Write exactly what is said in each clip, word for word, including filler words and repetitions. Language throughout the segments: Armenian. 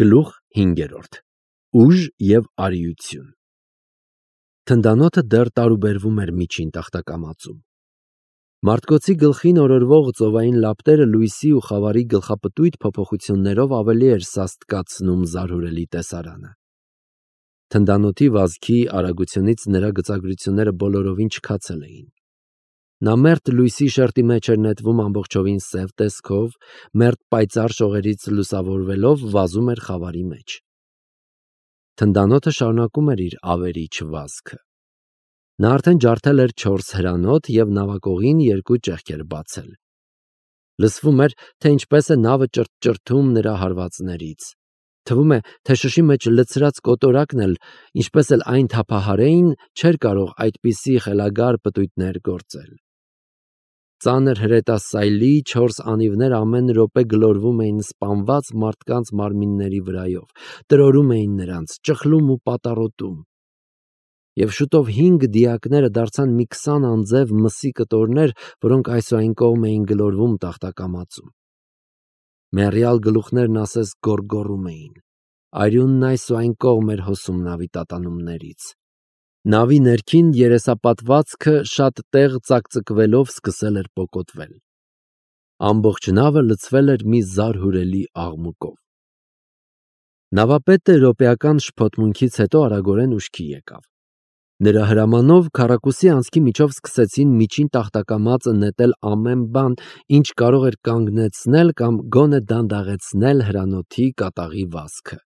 Գլուխ հինգերորդ. Ուժ և արիություն։ Թնդանոթը դեռ տարուբերվում էր միջին տախտակամածում։ Մարդկոցի գլխին օրորվող ծովային լապտերը լույսի ու խավարի գլխապտույտ փոփոխություններով ավելի էր սաստկացնում զարհուրելի տեսարանը։ Թնդանոթի վազքի արագությունից նրա գծագրությունները բոլորովին չքացել էին։ Նա մերթ լույսի շերտի մեջ էր նետվում ամբողջովին սև տեսքով, մերթ պայծառ շողերից լուսավորվելով վազում էր խավարի մեջ։ Թնդանոթը շարունակում էր իր ավերիչ վազքը։ Նա արդեն ջարդել էր չորս հրանոթ և նավակողին երկու ճեղքեր բացել։ Լսվում էր, թե ինչպես է նավը ճրթճրթում նրա հարվածներից։ Թվում է, թե շշի մեջ լցրած կոտորակն էլ, ինչպես էլ այն թափահարեին, չէր կարող այդպիսի խելագար պտույտներ գործել։ Ծանր հրետասայլի չորս անիվներ ամեն րոպե գլորվում էին սպանված մարդկանց մարմինների վրայով, տրորում էին նրանց, ճխլում ու պատառոտում։ Եվ շուտով հինգ դիակները դարձան մի քսան անձև մսի կտորներ, որոնք այս ու այն կողմ էին գլորվում տախտակամածում։ Մեռյալ գլուխներն ասես գոռգոռում էին։ Արյունն այս ու այն կողմ էր հոսում նավի տատանումներից։ Նավի ներքին երեսապատվածքը շատ տեղ ծակծկվելով սկսել էր պոկոտվել։ Ամբողջ նավը լցվել էր մի զարհուրելի աղմուկով։ Նավապետը րոպեական շփոթմունքից հետո արագորեն ուշքի եկավ։ Նրա հրամանով քառակուսի անցքի միջով սկսեցին միջին տախտակամածը նետել ամեն բան, ինչ կարող էր կանգնեցնել կամ գոնե դանդաղեցնել հրանոթի կատաղի վազքը։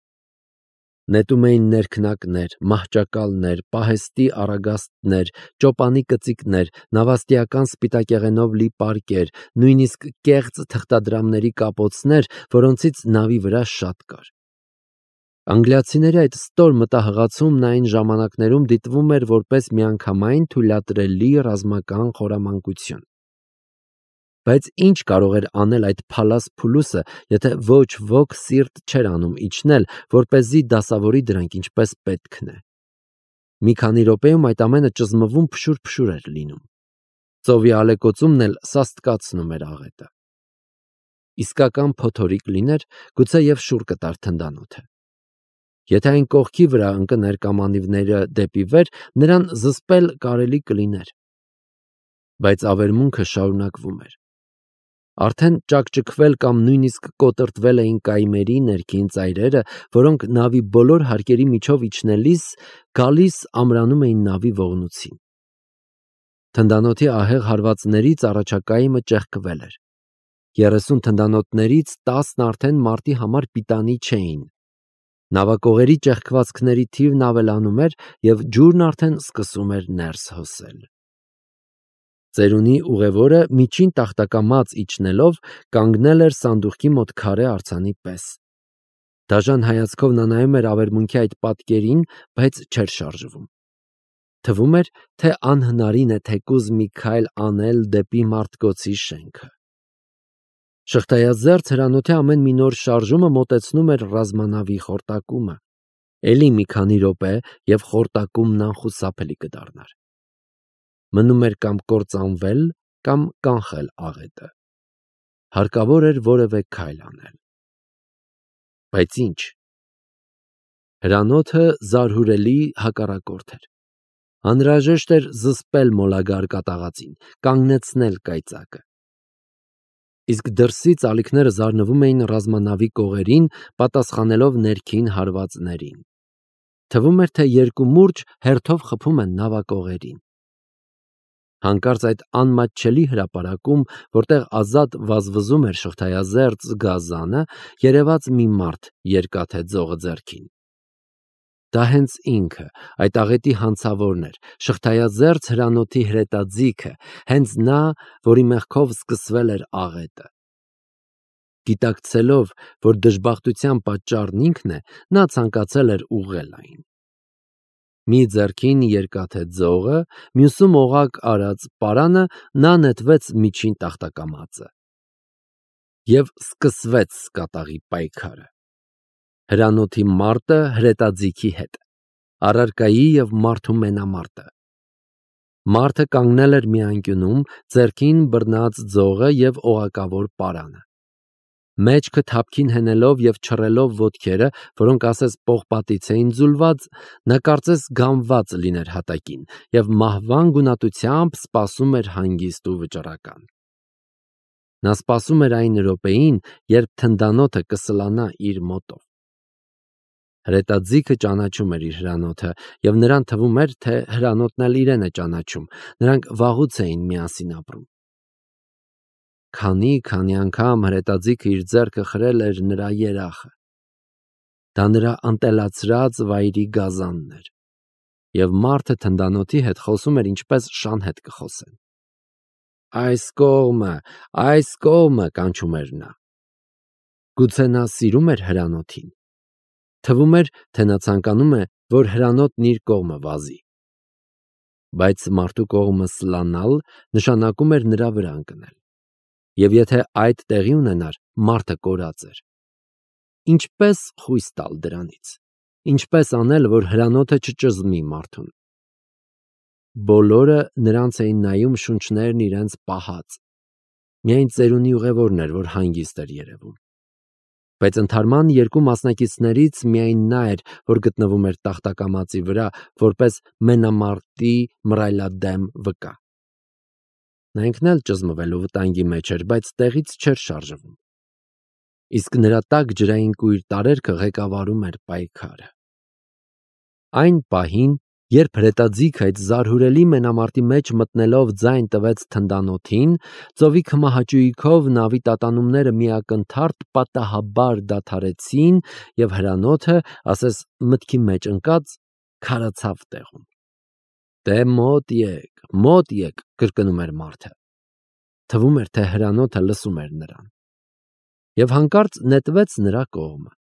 Նետում էին ներքնակներ, մահճակալներ, պահեստի առագաստներ, ճոպանի կծիկներ, նավաստիական սպիտակեղենով լի պարկեր, նույնիսկ կեղծ թղթադրամների կապոցներ, որոնցից նավի վրա շատ կար։ Անգլիացիների այդ ստոր մտահղացումն այն ժամանակներում դիտվում էր որպես միանգամայն թույլատրելի ռազմական խորամանկություն։ Բայց ինչ կարող էր անել այդ փալաս փուլուսը, եթե ոչ ոք սիրտ չէր անում իջնել, որպեսզի դասավորի դրանք ինչպես պետքն է։ Մի քանի րոպեում այդ ամենը ճզմվում փշուր-փշուր էր լինում։ Ծովի ալեկոծումն էլ սաստկացնում էր աղետը։ Իսկական փոթորիկ լիներ, գուցե և շուռ կտար թնդանոթը։ Եթե այն կողքի վրա ընկներ կամ անիվները դեպի վեր, նրան զսպել կարելի կլիներ։ Բայց ավերմունքը շարունակվում էր։ Արդեն ճաքճքվել կամ նույնիսկ կոտրտվել էին կայմերի ներքին ծայրերը, որոնք նավի բոլոր հարկերի միջով իջնելիս գալիս ամրանում էին նավի ողնուցին։ Թնդանոթի ահեղ հարվածներից առաջակայինը ճեղքվել էր։ Երեսուն թնդանոթներից տասն արդեն մարտի համար պիտանի չէին։ Նավակողերի ճեղքվածքների թիվն ավելանում էր, և ջուրն արդեն սկսում էր ներս հոսել։ Ծերունի ուղևորը միջին տախտակամած իջնելով կանգնել էր սանդուղքի մոտ քարե արձանի պես։ Դաժան հայացքով նա նայում էր ավերմունքի այդ պատկերին, բայց չէր շարժվում։ Թվում էր, թե անհնարին է թեկուզ մի քայլ անել դեպի մարդկոցի շենքը։ Շղթայազերծ հրանոթի ամեն մի նոր շարժումը մոտեցնում էր ռազմանավի խորտակումը։ Էլի մի քանի րոպե, և խորտակումն անխուսափելի կդառնար։ Մնում էր կամ կործանվել, կամ կանխել աղետը։ Հարկավոր էր որևէ քայլ անել։ Բայց ի՞նչ։ Հրանոթը զարհուրելի հակառակորդ էր։ Անհրաժեշտ էր զսպել մոլագար կատաղածին, կանգնեցնել կայծակը։ Իսկ դրսից ալիքները զարնվում էին ռազմանավի կողերին, պատասխանելով ներքին հարվածներին։ Թվում էր, թե երկու մուրջ հերթով խփում են նավակողերին։ Հանկարծ այդ անմատչելի հրապարակում, որտեղ ազատ վազվզում էր շղթայազերծ գազանը, երևաց մի մարդ երկաթե ձողը ձեռքին։ Դա հենց ինքը, այդ աղետի հանցավորն էր, շղթայազերծ հրանոթի հրետաձիգը, հենց նա, որի մեղքով սկսվել էր աղետը։ Գիտակցելով, որ դժբախտության պատճառն ինքն է, նա ցանկացել էր ուղղել այն։ Մի ձեռքին երկաթե ձողը, մյուսում օղակ արած պարանը, նա նետվեց միջին տախտակամածը։ Եվ սկսվեց կատաղի պայքարը։ Հրանոթի մարտը հրետաձիգի հետ, առարկայի և մարդու մենամարտը։ Մարդը կանգնել էր մի անկյունում, ձեռքին բռնած ձողը և օղակավոր պարանը։ մեջքը թափքին հենելով և չռելով ոտքերը, որոնք ասես պողպատից էին ձուլված, նա կարծես գամված լիներ հատակին և մահվան գունատությամբ սպասում էր հանգիստ ու վճռական։ Նա սպասում էր այն րոպեին, երբ թնդանոթը կսլանա իր մոտով։ Հրետաձիգը ճանաչում էր իր հրանոթը, և նրան թվում էր, թե հրանոթն էլ իրեն է ճանաչում, նրանք վաղուց էին միասին ապրում։ Քանի-քանի անգամ հրետաձիգը իր ձեռքը խրել էր նրա երախը։ Դա նրա ընտելացրած վայրի գազանն էր, և մարդը թնդանոթի հետ խոսում էր ինչպես շան հետ կխոսեն։ «Այս կողմը, այս կողմը», կանչում էր նա։ Գուցե նա սիրում էր հրանոթին։ Թվում էր, թե նա ցանկանում է, որ հրանոթն իր կողմը վազի։ Բայց մարդու կողմը սլանալ նշանակում էր նրա վրա ընկնել։ Եվ եթե այդ տեղի ունենար, մարդը կորած էր։ Ինչպե՞ս խույս տալ դրանից։ Ինչպե՞ս անել, որ հրանոթը չճզմի մարդուն։ Բոլորը նրանց էին նայում շունչներն իրենց պահած։ Միայն ծերունի ուղևորն էր, որ հանգիստ էր երևում։ Բայց ընդհարման երկու մասնակիցներից միայն նա էր, որ գտնվում էր տախտակամածի վրա, որպես մենամարտի մռայլադեմ վկա։ Նա ինքն էլ ճզմվելու վտանգի մեջ էր, բայց տեղից չէր շարժվում։ Իսկ նրա տակ ջրային կույր տարերքը ղեկավարում էր պայքարը։ Այն պահին, երբ հրետաձիգը այդ զարհուրելի մենամարտի մեջ մտնելով ձայն տվեց թնդանոթին, ծովի քմահաճույքով նավի տատանումները միակնթարթ պատահաբար դադարեցին, և հրանոթը, ասես մտքի մեջ ընկած, քարացավ տեղում։ «Դե մոտ եկ, մոտ եկ», կրկնում էր մարդը։ Թվում էր, թե հրանոթը լսում էր նրան։ Եվ հանկարծ նետվեց նրա կողմը։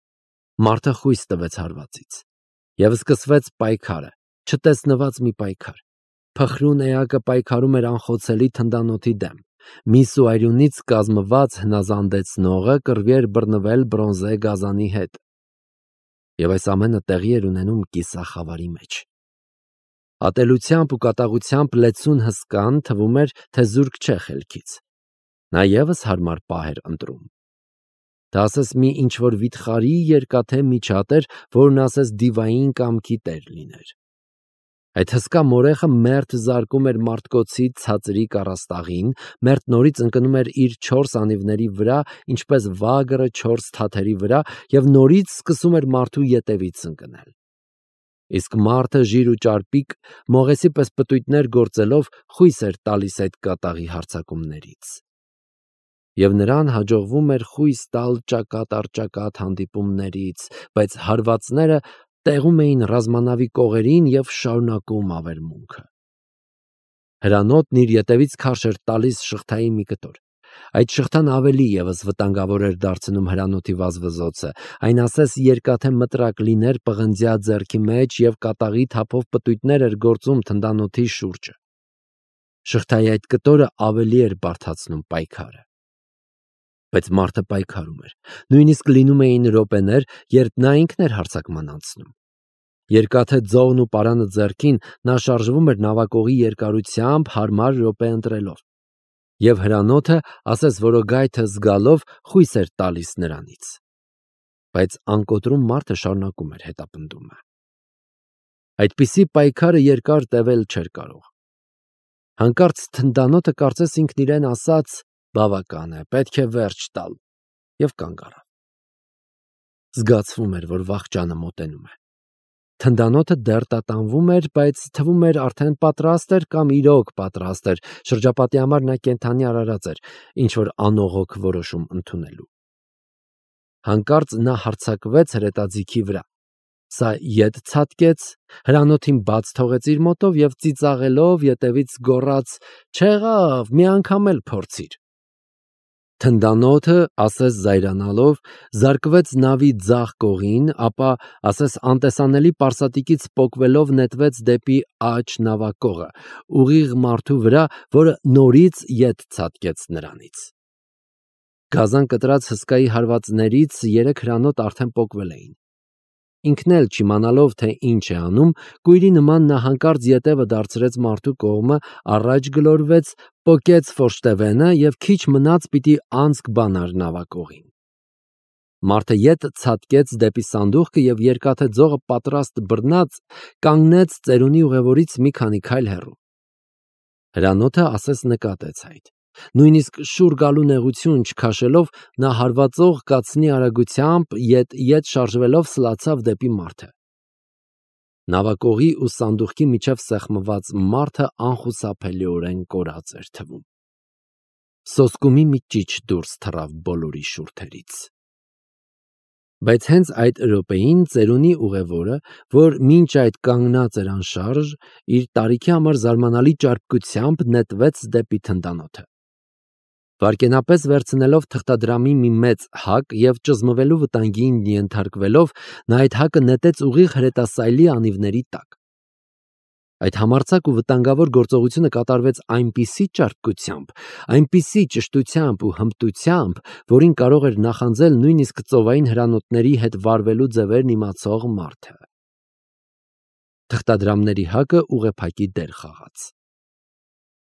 Մարդը խույս տվեց հարվածից։ Եվ սկսվեց պայքարը, չտեսնված մի պայքար։ Փխրուն էակը պայքարում էր անխոցելի թնդանոթի դեմ։ Միս ու արյունից կազմված հնազանդեցնողը կռվի էր բռնվել բրոնզե գազանի հետ։ Եվ այս ամենը տեղի էր ունենում կիսախավարի մեջ։ Ատելությամբ ու կատաղությամբ լեցուն հսկան թվում էր, թե զուրկ չէ խելքից։ Նա ևս հարմար պահ էր ընտրում։ Դա ասես մի ինչ-որ վիթխարի երկաթե միջատ էր, որն ասես դիվային կամքի տեր լիներ։ Այդ հսկա մորեխը մերթ զարկում էր մարդկոցի ցածրիկ առաստաղին, մերթ նորից ընկնում էր իր չորս անիվների վրա, ինչպես վագրը չորս թաթերի վրա, և նորից սկսում էր մարդու ետևից ընկնել։ Իսկ մարդը ժիր ու ճարպիկ, մողեսի պես պտույտներ գործելով, խույս էր տալիս այդ կատաղի հարձակումներից։ Եվ նրան հաջողվում էր խույս տալ ճակատ առ ճակատ հանդիպումներից, բայց հարվածները տեղում էին ռազմանավի կողերին և շարունակում ավերմունքը։ Հրանոթն իր ետևից քարշ էր տալիս շղթայի մի կտոր։ Այդ շղթան ավելի ևս վտանգավոր էր դարձնում հրանոթի վազվզոցը, այն ասես երկաթե մտրակ լիներ պղնձյա ձեռքի մեջ և կատաղի թափով պտույտներ էր գործում թնդանոթի շուրջը։ Շղթայի այդ կտորը ավելի էր բարդացնում պայքարը։ Բայց մարդը պայքարում էր։ Նույնիսկ լինում էին րոպեներ, երբ նա ինքն էր հարձակման անցնում։ Երկաթե ձողն ու պարանը ձեռքին, նա շարժվում էր նավակողի երկարությամբ հարմար րոպե ընտրելով։ Եվ հրանոթը, ասես որոգայթը զգալով, խույս էր տալիս նրանից։ Բայց անկոտրում մարդը շարունակում էր հետապնդումը։ Այդպիսի պայքարը երկար տևել չէր կարող։ Հանկարծ թնդանոթը կարծես ինքն իրեն ասաց. «Բավական է, պետք է վերջ տալ», և կանգ առավ։ Զգացվում էր, որ վախճանը մոտենում է։ Թնդանոթը դեռ տատանվում էր, բայց թվում էր արդեն պատրաստ էր կամ իրոք պատրաստ էր, շրջապատի համար նա կենդանի արարած էր, ինչ-որ անողոք որոշում ընդունելու։ Հանկարծ նա հարձակվեց հրետաձիգի վրա։ Սա ետ ցատկեց, հրանոթին բաց թողեց իր մոտով և ծիծաղելով ետևից գոռաց. «Չեղավ, մի անգամ էլ փորձիր»։ Թնդանոթը, ասես զայրանալով, զարկվեց նավի ձախ կողին, ապա, ասես անտեսանելի պարսատիկից պոկվելով, նետվեց դեպի աջ նավակողը, ուղիղ մարդու վրա, որը նորից ետ ցատկեց նրանից։ Գազան կտրած հսկայի հարվածներից երեք հրանոթ արդեն պոկվել էին։ Ինքն էլ չիմանալով, թե ինչ է անում, կույրի նման նա հանկարծ ետևը դարձրեց մարդու կողմը, առաջ գլորվեց, պոկեց ֆորշտևենը և քիչ մնաց պիտի անցք բանար նավակողին։ Մարդը ետ ցատկեց դեպի սանդուղքը և երկաթե ձողը պատրաստ բռնած կանգնեց ծերունի ուղևորից մի քանի քայլ հեռու։ Հրանոթը ասես նկատեց այդ։ Նույնիսկ շուռ գալու նեղություն չքաշելով, նա հարվածող կացնի արագությամբ ետ-ետ շարժվելով սլացավ դեպի մարդը։ Նավակողի ու սանդուղքի միջև սեղմված մարդը անխուսափելիորեն կորած էր թվում։ Սոսկումի մի ճիչ դուրս թռավ բոլորի շուրթերից։ Բայց հենց այդ րոպեին ծերունի ուղևորը, որ մինչ այդ կանգնած էր անշարժ, իր տարիքի համար զարմանալի ճարպկությամբ նետվեց դեպի թնդանոթը։ Վայրկենապես վերցնելով թղթադրամի մի մեծ հակ և ճզմվելու վտանգին ենթարկվելով, նա այդ հակը նետեց ուղիղ հրետասայլի անիվների տակ։ Այդ համարձակ ու վտանգավոր գործողությունը կատարվեց այնպիսի ճարպկությամբ, այնպիսի ճշտությամբ ու հմտությամբ, որին կարող էր նախանձել նույնիսկ ծովային հրանոթների հետ վարվելու ձևերն իմացող մարդը։ Թղթադրամների հակը ուղեփակի դեր խաղաց։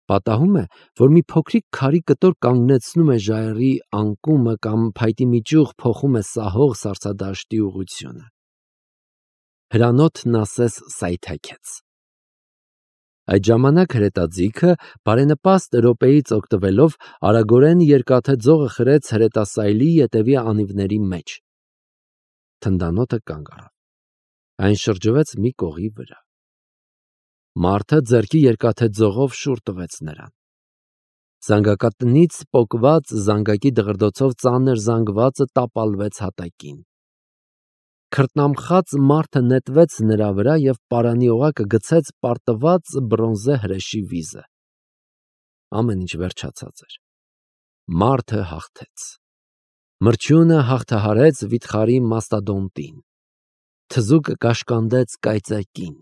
Պատահում է, որ մի փոքրիկ քարի կտոր կանգնեցնում է ժայռի անկումը կամ փայտի մի ճյուղ փոխում է սահող սառցադաշտի ուղղությունը։ Հրանոթն ասես սայթաքեց։ Այդ ժամանակ հրետաձիգը բարենպաստ րոպեից օգտվելով արագորեն երկաթե ձողը խրեց հրետասայլի ետևի անիվների մեջ։ Թնդանոթը կանգ առավ։ Այն շրջվեց մի կողի վրա։ Մարդը ձեռքի երկաթե ձողով շուռ տվեց նրան։ Զանգակատնից պոկված զանգակի դղրդոցով ծանր զանգվածը տապալվեց հատակին։ Քրտնամխած մարդը նետվեց նրա վրա և պարանի օղակը գցեց պարտված բրոնզե հրեշի վիզը։ Ամեն ինչ վերջացած էր։ Մարդը հաղթեց։ Մրջյունը հաղթահարեց վիթխարի մաստադոնտին։ Թզուկը կաշկանդեց կայծակին։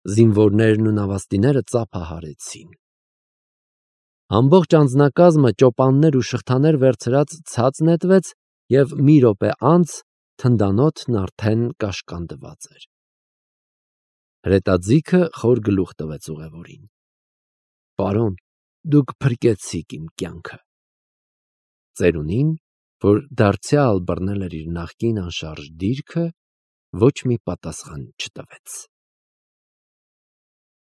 Զինվորներն ու նավաստիները ծափահարեցին։ Ամբողջ անձնակազմը ճոպաններ ու շղթաներ վերցրած ցած նետվեց և մի րոպե անց թնդանոթն արդեն կաշկանդված էր։ Հրետաձիգը խոր գլուխ տվեց ուղևորին։ Պարոն, դուք փրկեցիք իմ կյանքը։ Ծերունին, որ դարձյալ բռնել էր իր նախկին անշարժ դիրքը, ոչ մի պատասխան չտվեց։